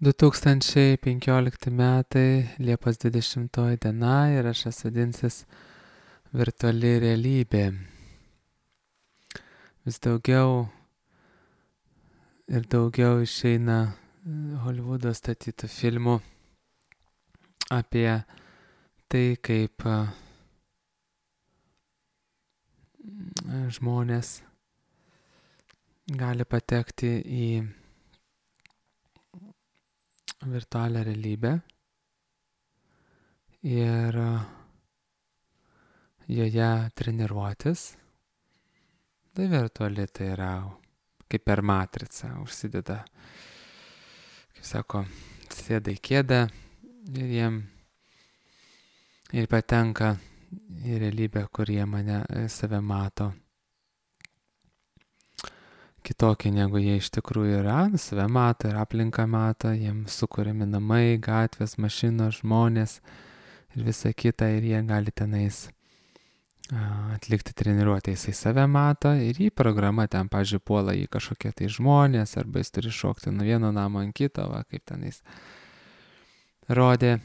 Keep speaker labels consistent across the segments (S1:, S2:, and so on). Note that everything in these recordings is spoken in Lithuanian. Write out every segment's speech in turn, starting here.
S1: 2015 metai, Liepos 20 diena ir aš vadinsis virtuali realybė. Vis daugiau ir daugiau išeina Hollywoodo statytų filmų apie tai, kaip žmonės gali patekti į virtualią realybę ir joje treniruotis. Tai virtuali tai yra kaip per matricą užsideda, kaip sako, sėda į kėdę ir patenka į realybę, kur jie save mato kitokį, negu jie iš tikrųjų yra, save mato ir aplinką mato, jiems sukuriami namai, gatvės, mašinos, žmonės ir visa kita, ir jie gali tenais atlikti treniruotę. Jisai save mato ir jį programa ten, pavyzdžiui, puola į kažkokie tai žmonės, arba jis turi šokti nuo vieno namo ant kito, kaip tenais rodė.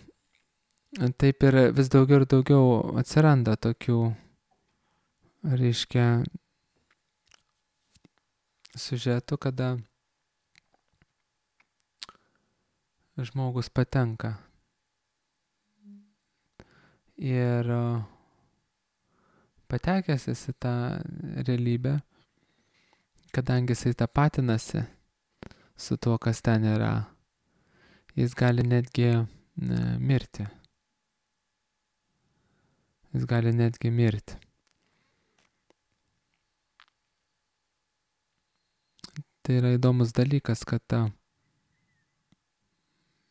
S1: Taip ir vis daugiau ir daugiau atsiranda tokių, reiškia, siužetų, kada žmogus patenka ir patekęs į tą realybę, kadangi jisai tapatinasi su tuo, kas ten yra, jis gali netgi mirti. Jis gali netgi mirti. Tai yra įdomus dalykas, kad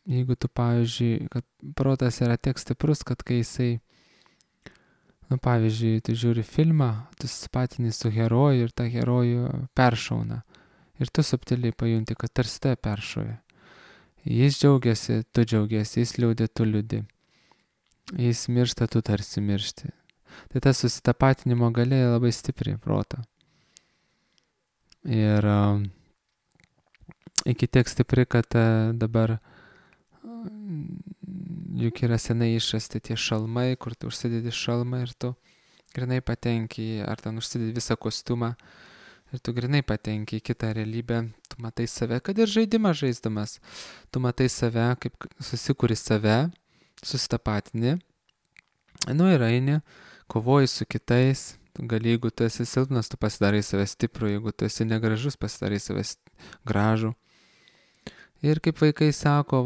S1: jeigu tu, pavyzdžiui, kad protas yra tiek stiprus, kad kai jisai, pavyzdžiui, tu žiūri filmą, tu susipatini su heroju ir tą herojų peršauna. Ir tu subtiliai pajunti, kad tarsi tai peršoja. Jis džiaugiasi, tu džiaugiasi, jis liūdė, tu liūdi. Jis miršta, tu tarsi miršti. Tai tas susitapatinimo galia labai stipri proto. Ir iki tiek stipri, kad dabar juk yra senai išrasti tie šalmai, kur tu užsidedi šalmą ir tu grinai patenki, ar ten užsidedi visą kostiumą ir tu grinai patenki į kitą realybę, tu matai save, kad ir žaidimą žaisdamas, tu matai save, kaip susikuri save, susitapatini, ir eini, kovoji su kitais, gali, jeigu tu esi silpnas, tu pasidarai save stiprų, jeigu tu esi negražus, pasidarai save gražų. Ir kaip vaikai sako,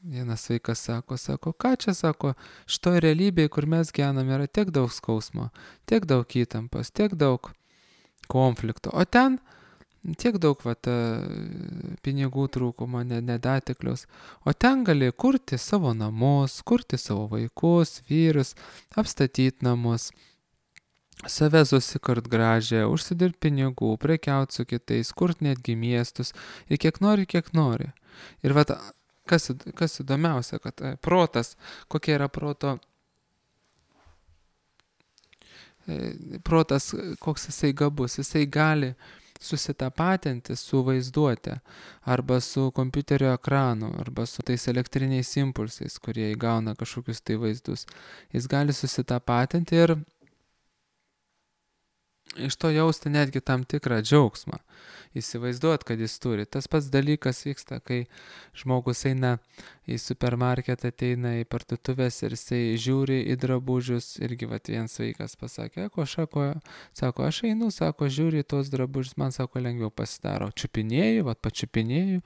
S1: vienas vaikas sako, ką čia sako, šitoj realybėje, kur mes gyvenam, yra tiek daug skausmo, tiek daug įtampos, tiek daug konflikto, o ten tiek daug pinigų trūkumo, nedatekliaus, o ten gali kurti savo namus, kurti savo vaikus, vyrus, apstatyti namus, save susikurt gražią, užsidirbt pinigų, prekiaut su kitais, kurt netgi miestus ir kiek nori. Ir kas įdomiausia, kad protas, kokia yra protas, koks jisai gabus, jisai gali susitapatinti su vaizduote, arba su kompiuterio ekranu, arba su tais elektriniais impulsais, kurie įgauna kažkokius tai vaizdus. Jis gali susitapatinti ir iš to jausti netgi tam tikrą džiaugsmą. Įsivaizduot, kad jis turi. Tas pats dalykas vyksta, kai žmogus eina į supermarketą, ateina į parduotuvės ir jisai žiūri į drabužius. Irgi vienas vaikas pasakė, aš einu, žiūri į tos drabužius, man lengviau pasidaro. Pačiupinėju.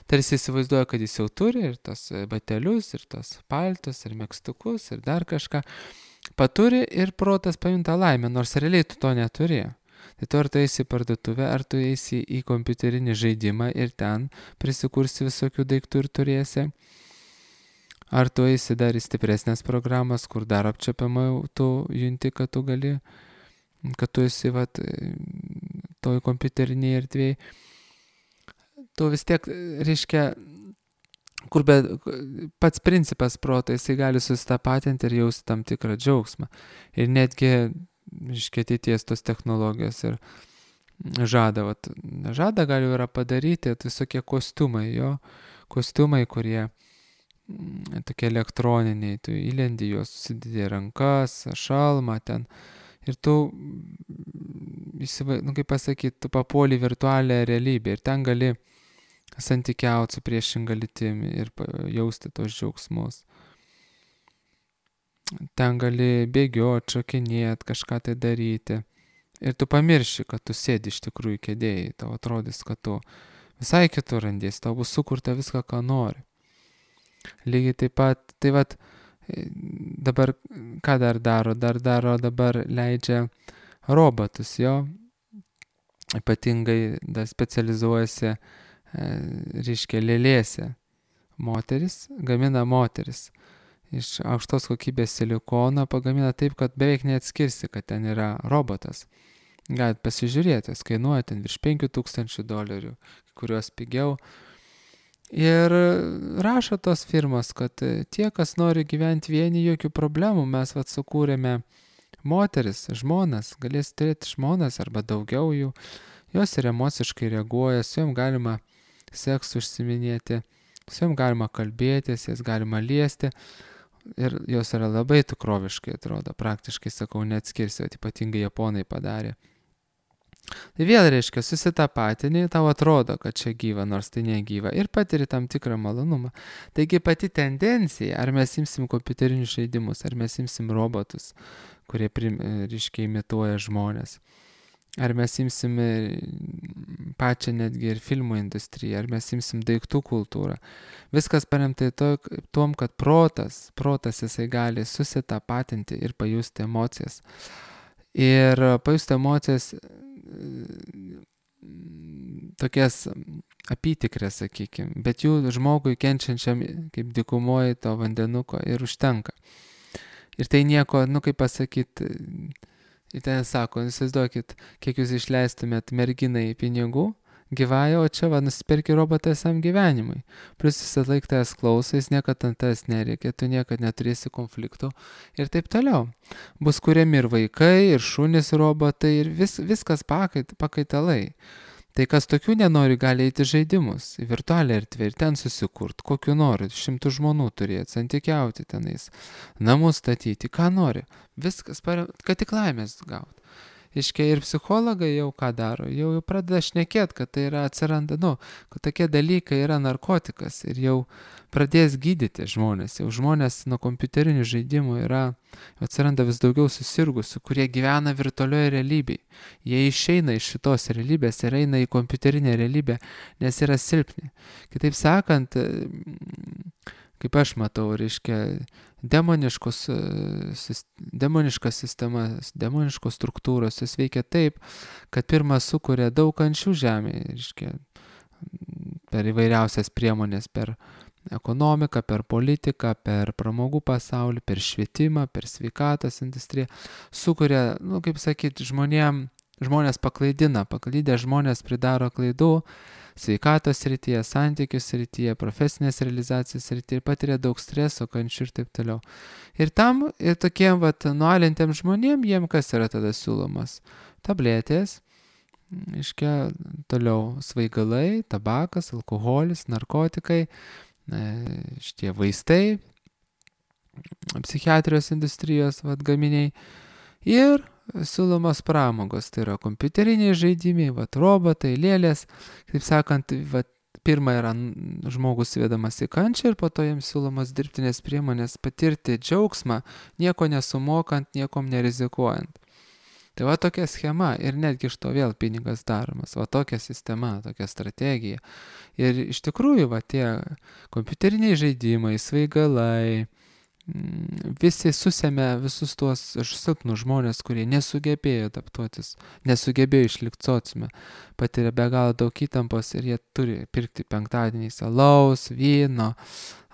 S1: Tarsi įsivaizduoja, kad jis jau turi ir tos batelius, ir tos paltus, ir megztukus, ir dar kažką. Paturi ir protas pajunta laimę, nors realiai tu to neturi. Tai tu ar tu eisi į parduotuvę, ar tu eisi į kompiuterinį žaidimą ir ten prisikursi visokių daiktų ir turėsi. Ar tu eisi dar į stipresnės programas, kur dar apčiapiamai tu junti, kad tu gali, kad tu esi toj kompiuterinėje erdvėje. Tu vis tiek, reiškia, pats principas proto, jisai gali susitapatinti ir jausti tam tikrą džiaugsmą. Ir netgi, ateities tos technologijos ir žada gali yra padaryti visokie kostiumai, kostiumai, kurie tokie elektroniniai, tu įlendi juos, susidedi rankas, šalmą ten ir tu, kaip pasakyti, tu papuoli virtualią realybę ir ten gali santykiauti su priešinga lytimi ir jausti tos džiaugsmus. Ten gali bėgioti, šokinėti, kažką tai daryti. Ir tu pamirši, kad tu sėdi iš tikrųjų kėdėjai, tau atrodys, kad tu visai kitur randies, tau bus sukurta viską, ką nori. Lygiai taip pat, tai vat, dabar ką dar daro? Dabar leidžia robotus, jo, ypatingai dar specializuojasi, reiškia, lėlėse. Gamina moteris. Iš aukštos kokybės silikono pagamina taip, kad beveik neatskirsi, kad ten yra robotas. Galit pasižiūrėti, jis kainuoja ten virš $5,000, kurios pigiau. Ir rašo tos firmos, kad tie, kas nori gyventi vieni, jokių problemų, mes sukūrėme moteris, žmonas, galės turėti žmonas arba daugiau jų, jos ir emociškai reaguoja, su jom galima seksu užsiminėti, su jom galima kalbėtis, jas galima liesti. Ir jos yra labai tikroviškai atrodo, praktiškai, sakau, neatskirsi, ypatingai japonai padarė. Tai vėl reiškia, susitapatini, tau atrodo, kad čia gyva, nors tai negyva, ir patiri tam tikrą malonumą. Taigi pati tendencija, ar mes imsim kompiuterinius žaidimus, ar mes imsim robotus, kurie, reiškia, imituoja žmonės, ar mes imsim pačią netgi ir filmų industriją, ar mes imsim daiktų kultūrą. Viskas paremta tom, kad protas jisai gali susitapatinti ir pajusti emocijas. Ir pajusti emocijas tokias apytikrės, sakykime, bet jų žmogui kenčiančiam kaip dykumoje to vandenuko ir užtenka. Ir tai nieko, kaip pasakyti, ir ten sako, įsivaizduokit, kiek jūs išleistumėt merginai pinigų, gyvąją, o čia nusipirki robotą visam gyvenimui. Plius visą laiką tavęs klauso, jis niekada ant tavęs nereikia, tu niekada neturėsi konfliktų ir taip toliau. Bus kuriami ir vaikai, ir šunys robotai, ir viskas pakaitalai. Tai kas tokių nenori, gali eiti žaidimus, į virtualią erdvę ir ten susikurt, kokiu nori, 100 žmonų turėti, santykiauti tenais, namus statyti, ką nori. Viskas, kad tik laimės gauti. Iškia ir psichologai jau ką daro, jau pradeda šnekėti, kad tai yra atsiranda, kad tokie dalykai yra narkotikas ir jau pradės gydyti žmonės. Jau žmonės nuo kompiuterinių žaidimų atsiranda vis daugiau susirgusių, kurie gyvena virtualioje realybėje. Jie išeina iš šitos realybės ir eina į kompiuterinę realybę, nes yra silpni. Kitaip sakant, kaip aš matau, reiškia, demoniškos sistemas, demoniškos struktūros, jis veikia taip, kad pirmas sukuria daug kančių žemėje, reiškia, per įvairiausias priemonės, per ekonomiką, per politiką, per pramogų pasaulį, per švietimą, per sveikatos industriją, sukuria, kaip sakyti, žmonės paklydę žmonės pridaro klaidų, sveikatos srityje, santykių srityje, profesinės realizacijos srityje ir patiria daug streso, kančių ir taip toliau. Ir tokiem nualintiem žmonėm, jiem kas yra tada siūlomas? Tabletės, iškia, toliau svaigalai, tabakas, alkoholis, narkotikai, šitie vaistai, psichiatrijos industrijos gaminiai ir siūlomos pramogos, tai yra kompiuteriniai žaidimai, robotai, lėlės, kaip sakant, pirma yra žmogus vedamas į kančią ir po to jiems siūlomos dirbtinės priemonės patirti džiaugsmą, nieko nesumokant, niekom nerizikuojant. Tai tokia schema ir netgi iš to vėl pinigas daromas, tokia sistema, tokia strategija. Ir iš tikrųjų, tie kompiuteriniai žaidimai, svaigalai, visi susėmė visus tuos silpnus žmonės, kurie nesugebėjo adaptuotis, nesugebėjo išlikti sociume, patiria be galo daug įtampos ir jie turi pirkti penktadieniais alaus, vyno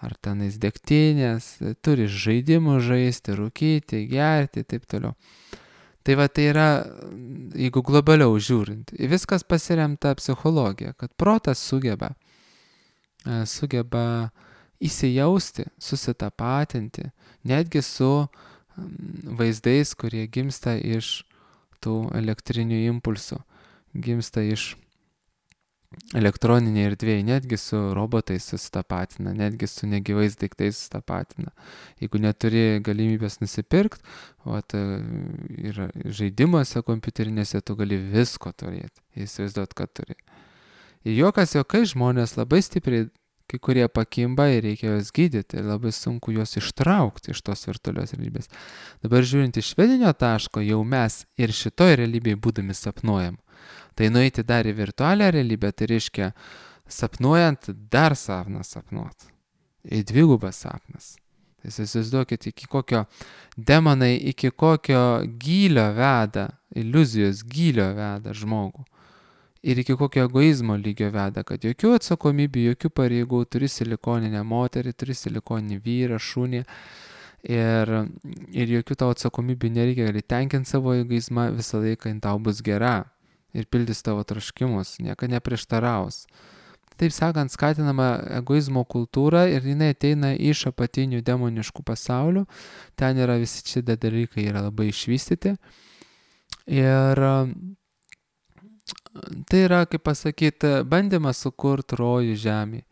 S1: ar tenais degtinės, turi žaidimų žaisti, rūkyti, gerti ir taip toliau. Tai tai yra, jeigu globaliau žiūrint, viskas pasiremta psichologija, kad protas sugeba įsijausti, susitapatinti, netgi su vaizdais, kurie gimsta iš tų elektrinių impulsų, gimsta iš elektroninėje erdvėje, netgi su robotais susitapatina, netgi su negyvais daiktais susitapatina. Jeigu neturi galimybės nusipirkti, ir žaidimuose kompiuterinėse tu gali visko turėti, įsivaizduot, kad turi. Ir jokai žmonės labai stipriai, kai kurie pakimba ir reikia juos gydyti ir labai sunku juos ištraukti iš tos virtualios realybės. Dabar žiūrint iš vedinio taško, jau mes ir šitoj realybėje būdami sapnuojam. Tai nueiti dar į virtualią realybę, tai reiškia sapnuojant dar sapną sapnuot. Į dvigubas sapnas. Tai įsivaizduokit, iki kokio demonai, iki kokio gylio veda, iliuzijos gylio veda žmogų. Ir iki kokio egoizmo lygio veda, kad jokių atsakomybių, jokių pareigų, turi silikoninę moterį, turi silikoninį vyrą, šunį. Ir jokių tavo atsakomybių nereikia, gali tenkinti savo egoizmą, visą laiką tau bus gera. Ir pildys tavo troškimus, nieko neprieštaraus. Taip sakant, skatinama egoizmo kultūra ir jinai ateina iš apatinių demoniškų pasaulių. Ten yra visi šitie dalykai yra labai išvystyti. Ir tai yra, kaip pasakyti, bandymas sukurti rojų žemį.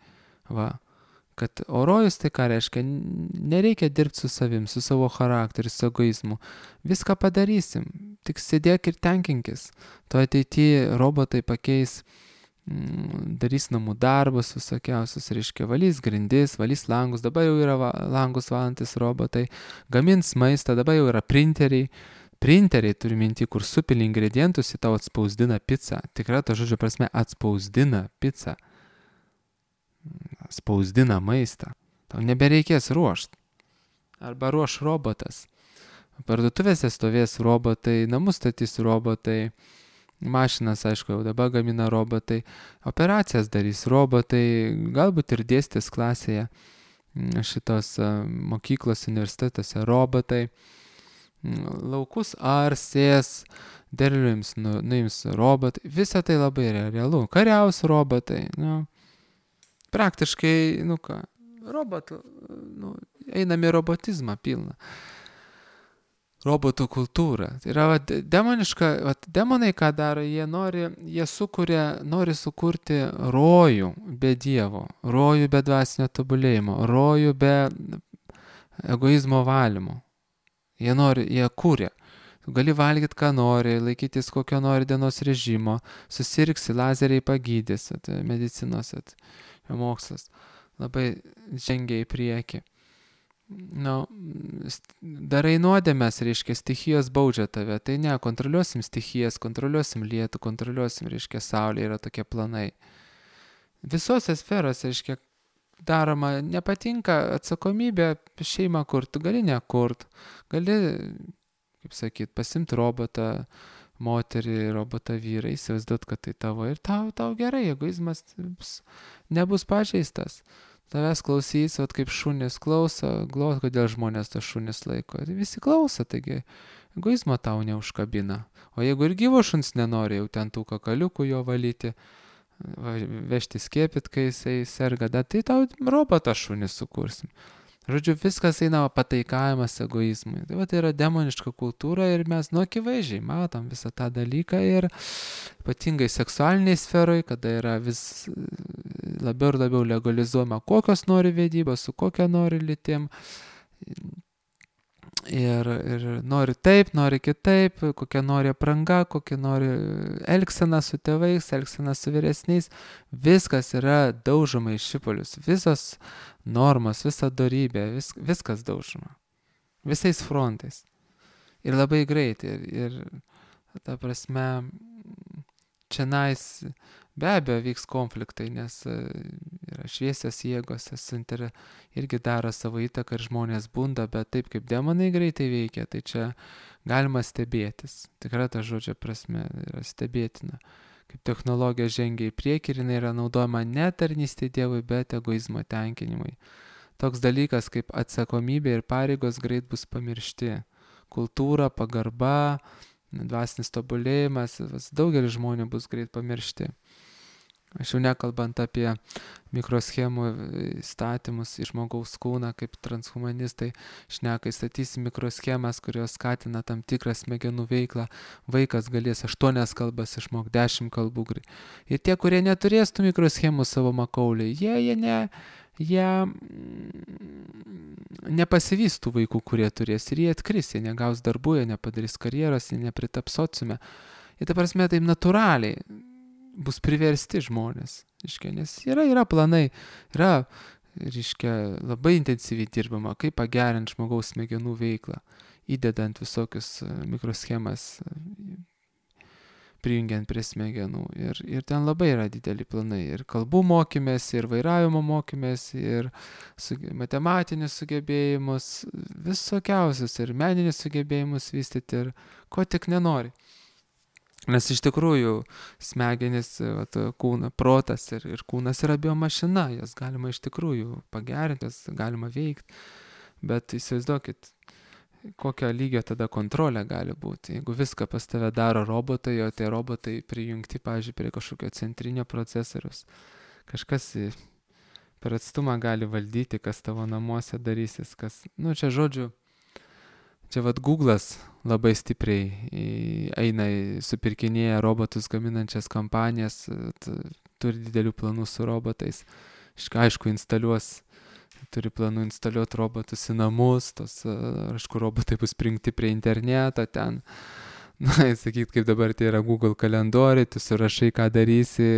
S1: Kad rojus tai ką reiškia, nereikia dirbti su savim, su savo charakteriu, su egoizmu. Viską padarysim, tik sėdėk ir tenkinkis. To ateityje robotai pakeis, darys namų darbus visokiausius, reiškia, valys grindis, valys langus, dabar jau yra langus valantis robotai, gamins maistą, dabar jau yra printeriai. Printeriai turi minti, kur supili ingredientus į tau atspausdina pizzą. Tikrai to žodžio prasme atspausdina pizzą. Spausdina maistą. Tau nebereikės ruošti. Arba ruoš robotas. Parduotuvėse stovės robotai, namus statys robotai, mašinas, aišku, jau dabar gamina robotai, operacijas darys robotai, galbūt ir dėstys klasėje šitos mokyklos universitetuose robotai. Laukus arsės, derlių nuims robotai. Visa tai labai realu. Kariaus robotai, praktiškai, robotų, einam į robotizmą pilną. Robotų kultūra. Tai yra demoniška, demonai ką daro, jie nori sukurti rojų be Dievo, rojų be dvasinio tobulėjimo, rojų be egoizmo valymo. Jie kūrė. Tu gali valgyti, ką nori, laikytis kokio nori dienos režimo, susirgsi, lazeriai pagydys, medicinos, mokslas labai žengia į priekį. Darai nuodėmes, reiškia, stichijos baudžia tave. Tai ne, kontroliuosim stichijas, kontroliuosim lietų, kontroliuosim, reiškia, saulė, yra tokie planai. Visose sferose, reiškia, daroma, nepatinka atsakomybė šeimą kurt, gali nekurt, gali, kaip sakyt, pasimti robotą, moterį, robotą vyrą, įsivaizduot, kad tai tavo ir tau gerai, egoizmas nebus pažeistas. Tavęs klausys, kaip šunis klauso, kodėl žmonės tas šunis laiko. Visi klauso, taigi egoizmo tau neužkabina. O jeigu ir gyvo šuns nenori, jau ten tų kakaliukų jo valyti, vežti skiepit, kai jisai serga, tai tau robotą šunį sukursim. Žodžiu, viskas eina pataikavimas egoizmui. Tai yra demoniška kultūra ir mes akivaizdžiai matom visą tą dalyką ir ypatingai seksualiniai sferoj, kada yra vis labiau ir labiau legalizuojama, kokios nori vedybos, su kokia nori lytim. Ir nori taip, nori kitaip, kokia nori apranga, kokia nori elgsena su tėvais, elgsena su vyresniais. Viskas yra daužoma į šipulius. Visos normos, visa dorybė, viskas daužoma. Visais frontais. Ir labai greitai. Ir ta prasme, čianais be abejo vyks konfliktai, nes yra šviesios jėgos, irgi daro savo įtaką ir žmonės bunda, bet taip kaip demonai greitai veikia, tai čia galima stebėtis. Tikrai ta žodžio prasme yra stebėtina. Kaip technologija žengia į priekį ir jinai yra naudojama ne tarnystė Dievui, bet egoizmo tenkinimui. Toks dalykas kaip atsakomybė ir pareigos greit bus pamiršti. Kultūra, pagarba, dvasinis tobulėjimas, daugelis žmonių bus greit pamiršti. Aš jau nekalbant apie mikroschemų įstatymus į žmogaus kūną, kaip transhumanistai šneka, įstatysi mikroschemas, kurios skatina tam tikrą smegenų veiklą, vaikas galės 8 kalbas išmokti, 10 kalbų. Ir tie, kurie neturės tų mikroschemų savo makaulį, jie nepasivys tų vaikų, kurie turės, ir jie atkris, jie negaus darbų, jie nepadarys karjeros, jie nepritaps sociume. Ir ta prasme, taip natūraliai bus priversti žmonės, nes yra planai, labai intensyviai dirbama, kaip pagerinti žmogaus smegenų veiklą, įdedant visokius mikroschemas, prijungiant prie smegenų. Ir ten labai yra dideli planai. Ir kalbų mokymės, ir vairavimo mokymės, ir matematinius sugebėjimus, visokiausius, ir meninius sugebėjimus vystyti, ir ko tik nenori. Nes iš tikrųjų smegenys, protas ir kūnas yra biomašina, jas galima iš tikrųjų pagerinti, jas galima veikti, bet įsivaizduokit, kokio lygio tada kontrolė gali būti. Jeigu viską pas tave daro robotai, o tie robotai prijungti, pavyzdžiui, prie kažkokio centrinio procesoriaus, kažkas per atstumą gali valdyti, kas tavo namuose darysis, čia žodžiu, čia Google'as labai stipriai eina, supirkinėja robotus gaminančias kompanijas, turi didelių planų su robotais. Aišku, turi planų instaliuoti robotus į namus, aišku, robotai bus prijungti prie interneto ten. Sakyt, kaip dabar tai yra Google kalendoriai, tu surašai, ką darysi,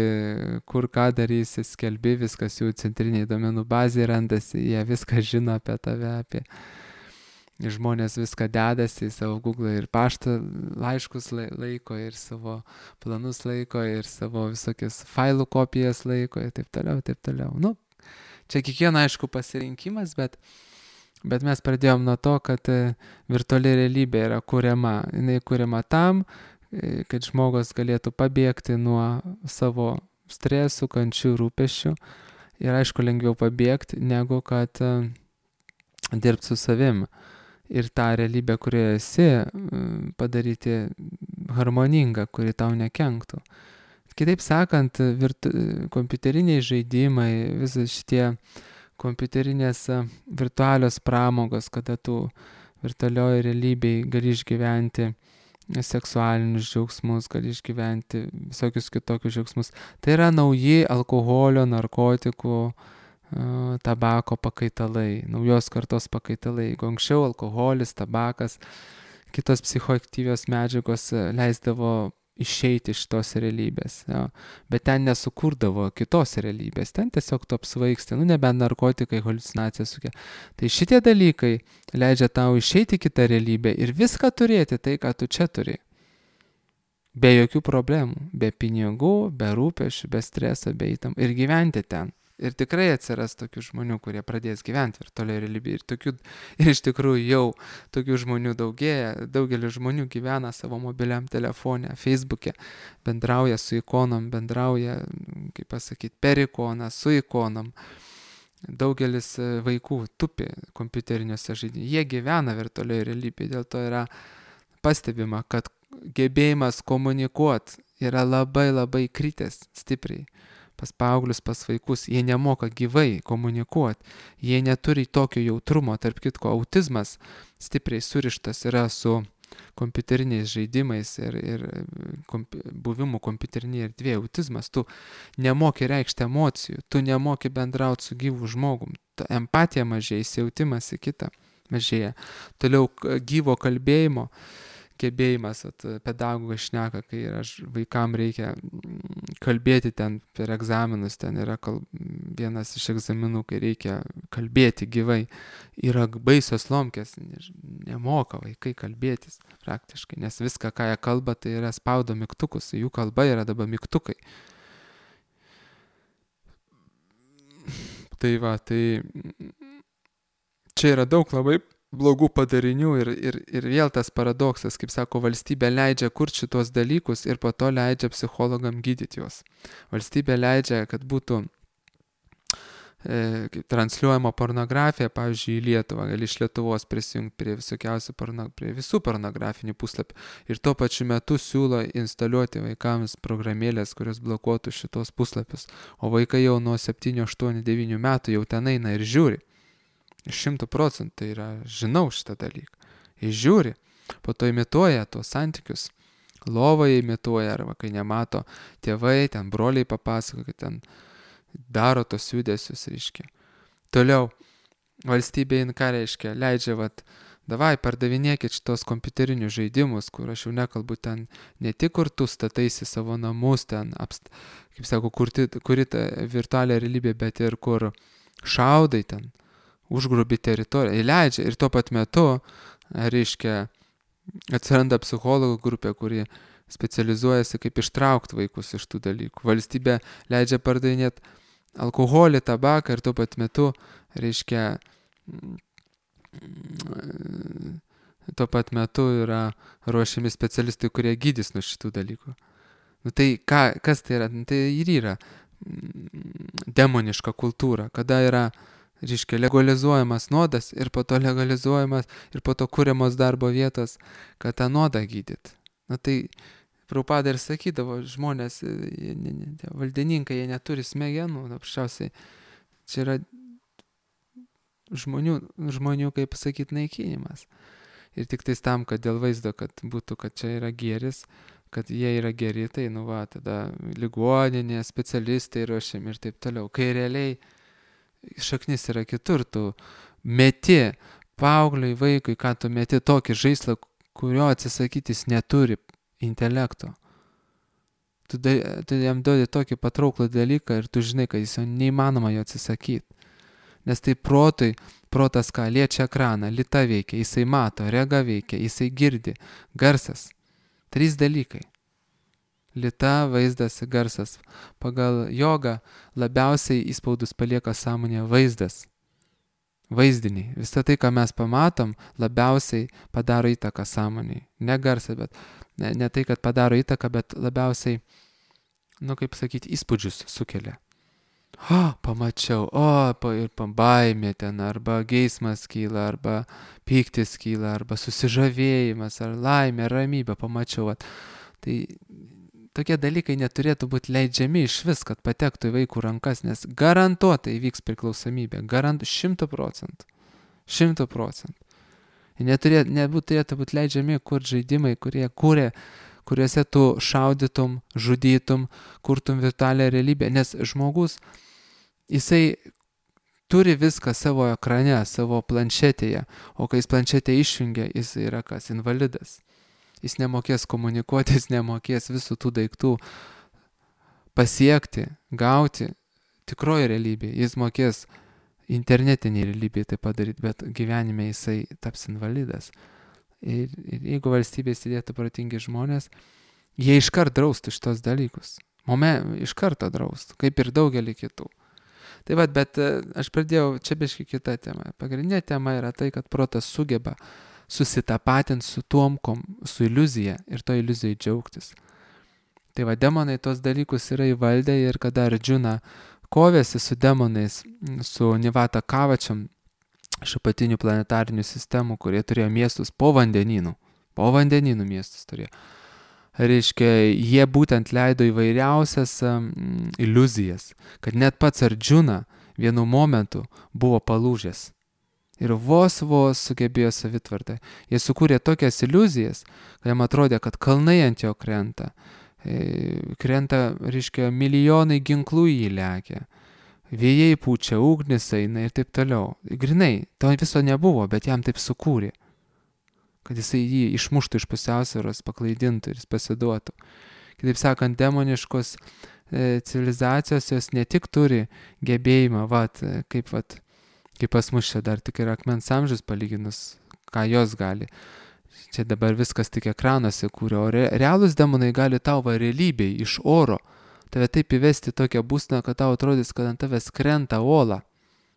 S1: kur ką darysi, skelbi, viskas jų centriniai domenų bazėje randasi, jie viską žino apie tave, žmonės viską dedasi į savo Google ir paštą laiškus laiko, ir savo planus laiko, ir savo visokias failų kopijas laiko, ir taip toliau. Čia kiekviena, aišku, pasirinkimas, bet mes pradėjom nuo to, kad virtuali realybė yra kuriama. Jinai kuriama tam, kad žmogus galėtų pabėgti nuo savo stresų, kančių, rūpesčių. Ir aišku, lengviau pabėgti, negu kad dirbti su savim. Ir tą realybę, kurioje esi, padaryti harmoningą, kuri tau nekenktų. Kitaip sakant, kompiuteriniai žaidimai, visi šitie kompiuterinės virtualios pramogos, kada tu virtualioje realybėje gali išgyventi seksualinius džiaugsmus, gali išgyventi visokius kitokius džiaugsmus. Tai yra nauji alkoholio, narkotikų, tabako pakaitalai, naujos kartos pakaitalai. Jeigu anksčiau alkoholis, tabakas, kitos psichoaktyvios medžiagos leisdavo išeiti iš tos realybės, bet ten nesukurdavo kitos realybės, ten tiesiog tu apsvaigsti, nebent narkotikai, haliucinacijas sukelia. Tai šitie dalykai leidžia tau išeiti į kitą realybę ir viską turėti, tai ką tu čia turi. Be jokių problemų, be pinigų, be rūpesčių, be streso, be įtampos ir gyventi ten. Ir tikrai atsiras tokių žmonių, kurie pradės gyventi virtualioje realybėje. Ir iš tikrųjų jau tokių žmonių daugėja. Daugelis žmonių gyvena savo mobiliam telefone, Facebook'e, bendrauja su ikonom, bendrauja, per ikoną, su ikonom. Daugelis vaikų tupi kompiuteriniuose žaidimuose. Jie gyvena virtualioje realybėje. Dėl to yra pastebima, kad gebėjimas komunikuoti yra labai labai kritęs stipriai. Pas paauglius, pas vaikus, jie nemoka gyvai komunikuoti, jie neturi tokio jautrumo, tarp kitko, autizmas stipriai surištas yra su kompiuteriniais žaidimais ir buvimu kompiuterinėje erdvėje. Autizmas, tu nemoki reikšti emocijų, tu nemoki bendrauti su gyvu žmogum, empatija mažėja, įsijautimas į kitą mažėja. Toliau gyvo kalbėjimo gebėjimas, pedagogas šneka, kai vaikam reikia kalbėti ten per egzaminus, ten yra vienas iš egzaminų, kai reikia kalbėti gyvai, yra baisios lomkės, nemoka vaikai kalbėtis praktiškai, nes viską, ką jie kalba, tai yra spaudo mygtukus, jų kalba yra dabar mygtukai. Tai čia yra daug labai blogų padarinių ir vėl tas paradoksas, kaip sako, valstybė leidžia kurti šitos dalykus ir po to leidžia psichologam gydyti juos. Valstybė leidžia, kad būtų kaip transliuojama pornografija, pavyzdžiui, į Lietuvą, gali iš Lietuvos prisijungti prie visokiausių prie visų pornografinių puslapių. Ir tuo pačiu metu siūlo instaliuoti vaikams programėlės, kurios blokuotų šitos puslapius. O vaikai jau nuo 7, 8, 9 metų jau ten eina ir žiūri. 100% tai yra, žinau šitą dalyką. Jis žiūri, po to imituoja tuos santykius. Lovoje imituoja, arba kai nemato tėvai, ten broliai papasako, kad ten daro tos judesius, reiškia. Toliau, valstybė, ką reiškia, leidžia, davai, pardavinėkit šitos kompiuterinius žaidimus, kur aš jau nekalbu ten ne tik, kur tu stataisi savo namus, ten, kaip sako, kuri ta virtualią realybę, bet ir kur šaudai ten, užgrobi teritoriją, įleidžia ir tuo pat metu, reiškia, atsiranda psichologų grupė, kuri specializuojasi, kaip ištraukti vaikus iš tų dalykų. Valstybė leidžia pardavinėti alkoholį, tabaką ir tuo pat metu, reiškia, tuo pat metu yra ruošiami specialistai, kurie gydys nuo šitų dalykų. Tai kas tai yra? Tai ir yra demoniška kultūra, kada yra, reiškia, legalizuojamas nuodas ir po to legalizuojamas ir po to kūriamos darbo vietos, kad tą nuodą gydyt. Tai Prabhupada ir sakydavo, žmonės, valdininkai, jie neturi smegenų, apščiausiai, čia yra žmonių, kaip sakyti, naikinimas. Ir tik tais tam, kad dėl vaizdo, kad būtų, kad čia yra gėris, kad jie yra geri, tai, tada ligoninė, specialistai ruošiami ir taip toliau. Kai realiai šaknis yra kitur, tu meti paaugliui, vaikui, ką tu meti tokį žaislą, kurio atsisakytis neturi intelekto. Tu jam duodi tokį patrauklų dalyką ir tu žinai, kad jis jau neįmanoma jo atsisakyti. Nes tai protas ką, liečia ekraną, lyta veikia, jisai mato, rega veikia, jisai girdi, garsas. 3 dalykai. Lyta, vaizdas, garsas. Pagal jogą labiausiai įspaudus palieka sąmonėje vaizdas. Vaizdiniai. Visą tai, ką mes pamatom, labiausiai padaro įtaką sąmonėje. Ne garsą, bet ne tai, kad padaro įtaką, bet labiausiai, kaip sakyti, įspūdžius sukelia. Pamačiau, ir baimė ten, arba geismas kyla, arba pyktis kyla, arba susižavėjimas, ar laimė, ramybė, pamačiau. Tai tokie dalykai neturėtų būti leidžiami iš vis, kad patektų į vaikų rankas, nes garantuotai įvyks priklausomybė, 100%. 100%. Neturėtų būti leidžiami kurti žaidimai, kuriuose tu šaudytum, žudytum, kurtum virtualią realybę, nes žmogus, jisai turi viską savo ekrane, savo planšetėje, o kai jis planšetę išjungia, jis yra kas? Invalidas. Jis nemokės komunikuoti, jis nemokės visų tų daiktų pasiekti, gauti tikroji realybė. Jis mokės internetinį realybę tai padaryti, bet gyvenime jisai taps invalidas. Ir jeigu valstybė įsidėtų protingi žmonės, jie iškart draustų šitos dalykus. Iš karto draustų, kaip ir daugelį kitų. Tai bet aš pradėjau, čia biškai kita tema. Pagrindinė tema yra tai, kad protas sugeba susitapatinti su su iliuzija ir to iliuzijai džiaugtis. Tai demonai tos dalykus yra įvaldę ir kada Arjuna kovėsi su demonais, su Nivata Kavačiam, iš apatinių planetarinių sistemų, kurie turėjo miestus po vandenynų miestus turėjo. Reiškia, jie būtent leido įvairiausias iliuzijas, kad net pats Arjuna vienu momentu buvo palūžęs. Ir vos sugebėjo savitvardą. Jie sukūrė tokias iliuzijas, kad jam atrodė, kad kalnai ant jo krenta, reiškia, milijonai ginklų jį lekia, vėjai pučia, ugnis eina ir taip toliau. Grinai, to viso nebuvo, bet jam taip sukūrė, kad jisai jį išmuštų iš pusiausvyros, paklaidintų ir jis pasiduotų. Kitaip sakant, demoniškos civilizacijos jos ne tik turi gebėjimą, kaip pas mus čia dar tik ir akmens amžius palyginus, ką jos gali. Čia dabar viskas tik ekranuose kūrė, o realūs demonai gali tau realybėj iš oro tave taip įvesti tokią būseną, kad tau atrodys, kad ant tavęs krenta uola,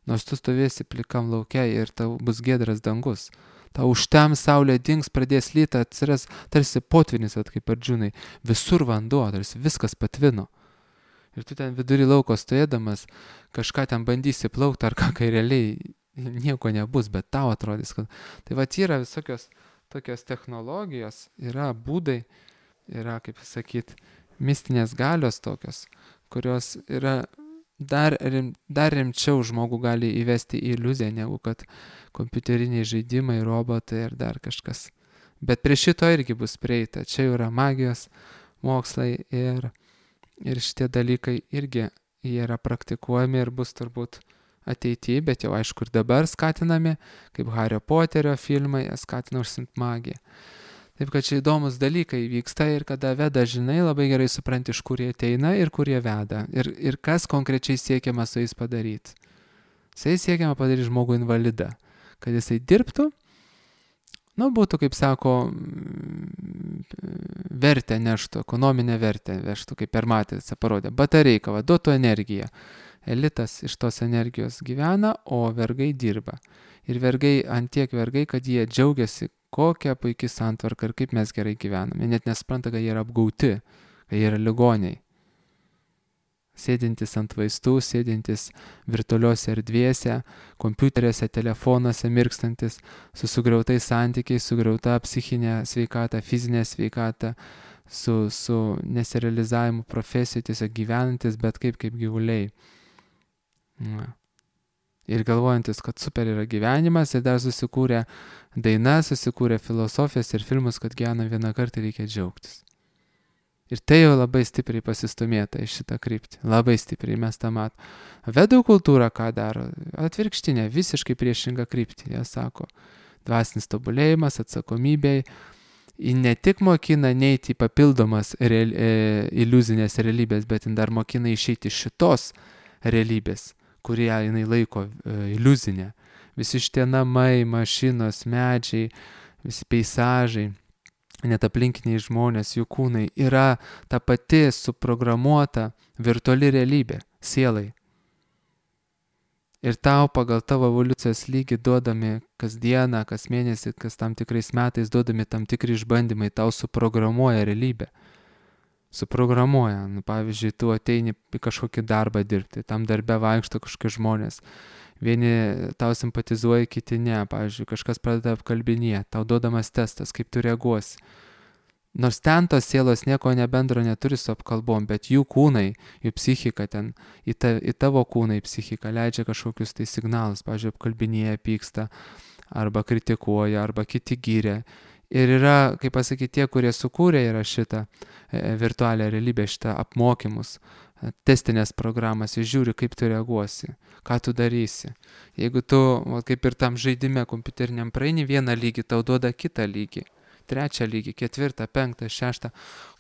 S1: nors tu stovėsi plikam lauke ir tau bus giedras dangus. Tau užtem saulė dings, pradės lyti, atsiras tarsi potvinis, kaip Arjunai, visur vanduo, tarsi viskas patvino. Ir tu ten vidury lauko stovėdamas kažką ten bandysi plaukti ar ką, kai realiai nieko nebus, bet tau atrodys, kad... Tai va, yra visokios tokios technologijos, yra būdai, yra, kaip sakyt, mistinės galios tokios, kurios yra dar rimčiau žmogų gali įvesti į iliuziją, negu kad kompiuteriniai žaidimai, robotai ir dar kažkas. Bet prie šito irgi bus prieita. Čia jau yra magijos mokslai ir šitie dalykai irgi jie yra praktikuojami ir bus turbūt ateityje, bet jau aišku ir dabar skatinami, kaip Hario Poterio filmai, skatina užsiimti magiją. Taip kad čia įdomus dalykai vyksta ir kada veda, žinai, labai gerai supranti, iš kur jie ateina ir kur jie veda. Ir kas konkrečiai siekiama su jais padaryti. Su jais siekiama padaryti žmogų invalidą, kad jisai dirbtų, būtų, kaip sako, vertę neštų, ekonominę vertę vežtų, kaip per matricą parodė. Batareika, duotų energiją. Elitas iš tos energijos gyvena, o vergai dirba. Ir vergai, antiek vergai, kad jie džiaugiasi, kokia puikia santvarka ir kaip mes gerai gyvename. Jie net nespranta, kad jie yra apgauti, kad jie yra ligoniai. Sėdintis ant vaistų, sėdintis virtualiuose erdvėse, kompiuteriuose, telefonuose, mirkstantis, su sugriautais santykiais, sugriauta psichinė sveikata, fizinė sveikata, su nesirealizavimu profesijų, tiesiog gyvenantis, bet kaip gyvuliai. Ir galvojantis, kad super yra gyvenimas, ir dar susikūrė dainas, susikūrė filosofijas ir filmus, kad gyvenam vieną kartą reikia džiaugtis. Ir tai jau labai stipriai pasistumėta iš šitą kryptį. Labai stipriai mes tą matom. Vedų kultūra ką daro? Atvirkštinė, visiškai priešinga kryptį. Jie sako, dvasinis tobulėjimas, atsakomybė. Ji ne tik mokina neiti į papildomas iliuzinės realybės, bet ji dar mokina išeiti iš šitos realybės, kurią jinai laiko iliuzinė. Visi šitie namai, mašinos, medžiai, visi peizažai, net aplinkiniai žmonės, jų kūnai, yra ta pati suprogramuota virtuali realybė, sielai. Ir tau pagal tavo evoliucijos lygį duodami kasdieną, kas mėnesį, kas tam tikrais metais duodami tam tikri išbandymai, tau suprogramuoja realybę. Suprogramuoja. Pavyzdžiui, tu ateini į kažkokį darbą dirbti, tam darbe vaikšto kažkokie žmonės. Vieni tau simpatizuoja, kiti ne. Pavyzdžiui, kažkas pradeda apkalbinėti, tau duodamas testas, kaip tu reaguosi. Nors ten tos sielos nieko nebendro neturi su apkalbom, bet jų kūnai, jų psichika ten, į tavo kūną, į psichiką leidžia kažkokius tai signalus. Pavyzdžiui, apkalbinėja, pyksta, arba kritikuoja, arba kiti gyrė. Ir yra, kaip pasakyti, tie, kurie sukūrė yra šitą virtualią realybę, šitą apmokymus, testinės programas, jis žiūri, kaip tu reaguosi, ką tu darysi. Jeigu tu, kaip ir tam žaidime kompiuteriniam praeini vieną lygį, tau duoda kitą lygį, trečią lygį, ketvirtą, penktą, šeštą,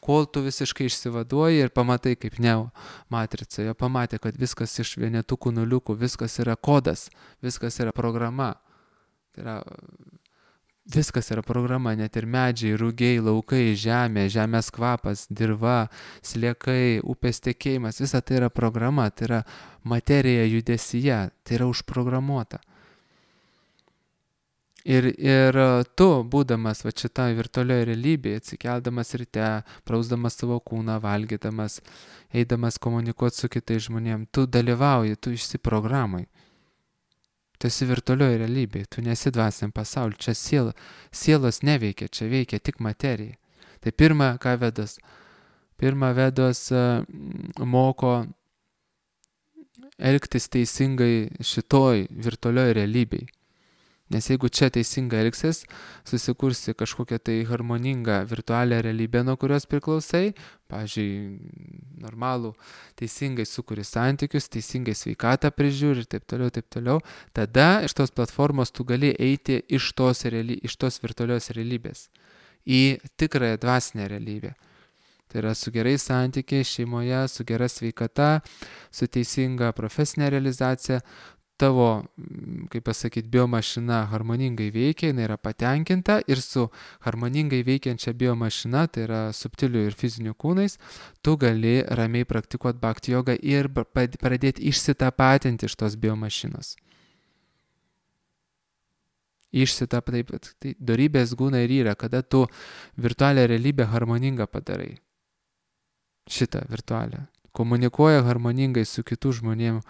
S1: kol tu visiškai išsivaduoji ir pamatai kaip Neo matricoje, pamatė, kad viskas iš vienetukų nuliukų, viskas yra kodas, viskas yra programa. Tai yra... Viskas yra programa, net ir medžiai, rugiai, laukai, žemė, žemės kvapas, dirva, sliekai, upės tekėjimas, visa tai yra programa, tai yra materija judesyje, tai yra užprogramuota. Ir tu, būdamas šitą virtualioje realybėje, atsikeldamas ryte, prausdamas savo kūną, valgydamas, eidamas komunikuoti su kitais žmonėms, tu dalyvauji, tu išsiprogramai. Tu esi virtualioje realybėje, tu nesi dvasiniam pasauliu, čia sielos neveikia, čia veikia tik materija. Tai pirma, ką Vedos? Pirma, Vedos moko elgtis teisingai šitoj virtualioje realybėje. Nes jeigu čia teisingai elgsis, susikursi kažkokią tai harmoningą virtualią realybę, nuo kurios priklausai, pavyzdžiui, normalų, teisingai sukuri santykius, teisingai sveikatą prižiūri ir taip toliau, tada iš tos platformos tu gali eiti iš tos virtualios realybės į tikrąją dvasinę realybę. Tai yra su gerais santykiais šeimoje, su gera sveikata, su teisinga profesinė realizacija. Tavo, kaip pasakyti, biomašina harmoningai veikia, jinai yra patenkinta ir su harmoningai veikiančia biomašina, tai yra subtilių ir fizinių kūnais, tu gali ramiai praktikuoti bhakti jogą ir pradėti išsitapatinti iš tos biomašinos. Tai dorybės gūna ir yra, kada tu virtualią realybę harmoningą padarai. Šitą virtualią. komunikuoja harmoningai su kitų žmonėm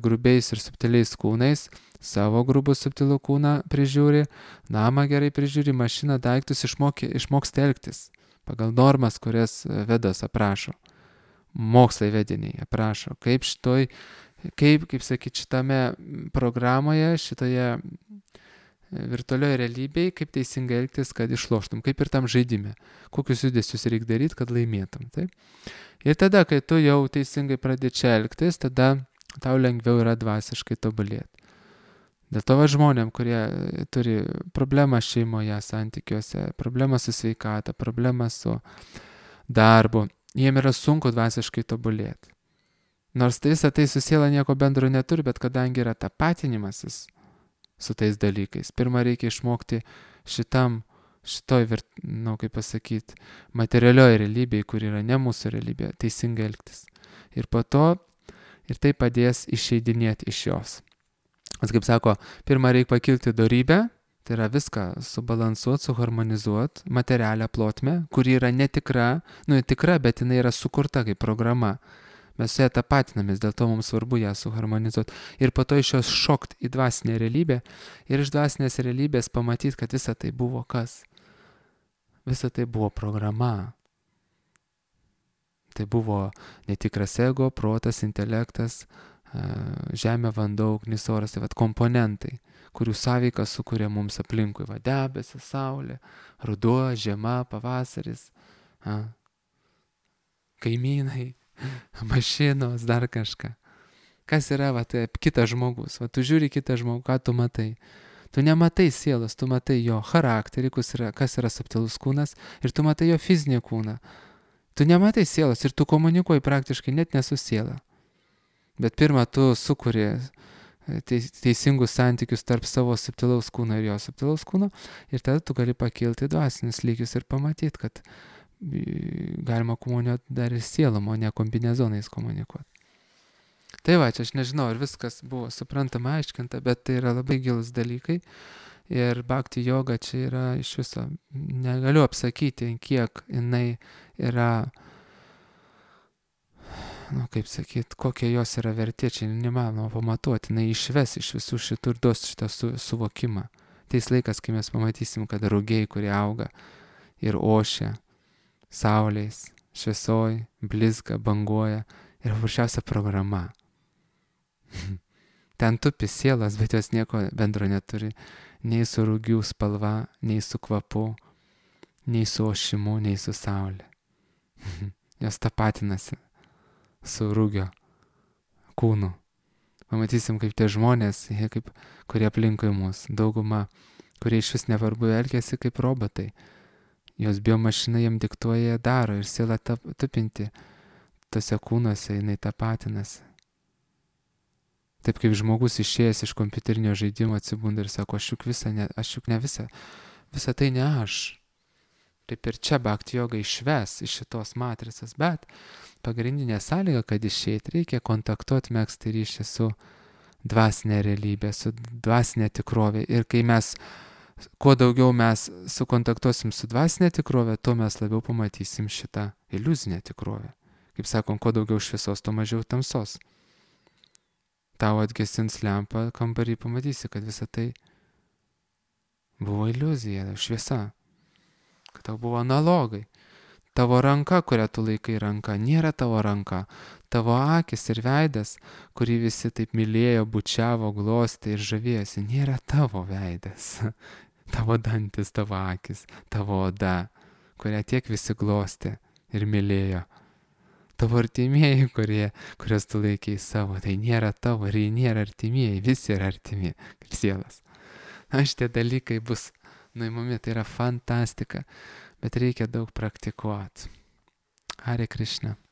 S1: grubiais ir subtiliais kūnais, savo grubų subtilų kūną prižiūri, namą gerai prižiūri, mašiną, daiktus išmoksta elgtis pagal normas, kurias Vedos aprašo. Mokslai vediniai aprašo, kaip šitame programoje, šitoje virtualioje realybėje, kaip teisingai elgtis, kad išloštum, kaip ir tam žaidime, kokius judesius reikia daryti, kad laimėtum. Taip? Ir tada, kai tu jau teisingai pradedi čia elgtis, tada tau lengviau yra dvasiškai tobulėti. Dėl to žmonėm, kurie turi problemą šeimoje, santykiuose, problemą su sveikata, problemą su darbu, jiem yra sunku dvasiškai tobulėti. Nors visą tai su siela nieko bendro neturi, bet kadangi yra tapatinimasis su tais dalykais, pirmą reikia išmokti materialioje realybėje, kur yra ne mūsų realybė, teisingai elgtis. Ir po to ir tai padės išeidinėti iš jos. Kaip sako, pirmą reikia pakilti dorybę, tai yra viską subalansuoti, suharmonizuoti, materialią plotmę, kuri yra netikra, tikra, bet jinai yra sukurta kaip programa. Mes su ją tapatinamės, dėl to mums svarbu ją suharmonizuoti. Ir po to iš jos šokti į dvasinę realybę ir iš dvasinės realybės pamatyti, kad visa tai buvo kas? Visa tai buvo programa. Tai buvo netikras ego, protas, intelektas, žemė, vanduo, ugnis, oras, tai komponentai, kurių sąveiką sukuria mums aplinkui. Debesis, saulė, ruduo, žiema, pavasaris, kaimynai, mašinos, dar kažką. Kas yra tai kitas žmogus? Tu žiūri kitą žmogų, ką tu matai? Tu nematai sielos, tu matai jo charakterį, kas yra subtilus kūnas, ir tu matai jo fizinį kūną. Tu nematai sielos ir tu komunikuoji praktiškai net ne su siela. Bet pirmą tu sukuri teisingus santykius tarp savo subtilaus kūno ir jo subtilaus kūno, ir tada tu gali pakilti dvasinius lygius ir pamatyti, kad galima komunikuoti dar ir sielom, o ne kombinezonais komunikuoti. Tai čia aš nežinau, ar viskas buvo suprantama, aiškinta, bet tai yra labai gilus dalykai. Ir bhakti joga čia yra iš viso, negaliu apsakyti, kiek jinai yra, kokia jos yra vertė, čia nemanoma pamatuoti, jinai išves iš visų šitų ir duos šitą suvokimą. Teis laikas, kai mes pamatysim, kad rugiai, kurie auga ir ošia, saulės, šviesoj, blizga, banguoja, yra paprasčiausia programa. Ten tupi sielas, bet jos nieko bendro neturi, nei su rugių spalva, nei su kvapu, nei su ošimu, nei su saulė. Jos tapatinasi su rugio kūnu. Pamatysim, kaip tie žmonės, kurie aplinkui mus, dauguma, kurie iš vis nevarbu elgiasi kaip robotai. Jos biomašina jiem diktuoja, daro ir siela tupinti tose kūnuose, jinai tapatinasi. Taip kaip žmogus išėjęs iš kompiuterinio žaidimo atsibunda ir sako, aš juk ne visa tai ne aš. Taip ir čia bhakti joga išves iš šitos matricas, bet pagrindinė sąlyga, kad išeiti, reikia kontaktuoti, megzti ryšį su dvasinė realybė, su dvasinė tikrovė. Ir kai kuo daugiau mes sukontaktuosim su dvasinė tikrovė, tuo mes labiau pamatysim šitą iliuzinę tikrovę. Kaip sakom, kuo daugiau šviesos, tuo mažiau tamsos. Tau atgesins lempą kambarį, pamatysi, kad visa tai buvo iliuzija, šviesa. Kad tau buvo analogai. Tavo ranka, kurią tu laikai ranka, nėra tavo ranka. Tavo akis ir veidas, kurį visi taip mylėjo, bučiavo, glostė ir žavėjosi, nėra tavo veidas. Tavo dantis, tavo akis, tavo oda, kurią tiek visi glostė ir mylėjo. Tavo artimieji, kuriuos tu laikai savo, tai nėra tavo ir jie nėra artimieji, visi yra artimi, kaip sielas. Šitie dalykai bus nuimami, tai yra fantastika, bet reikia daug praktikuoti. Hare Krishna.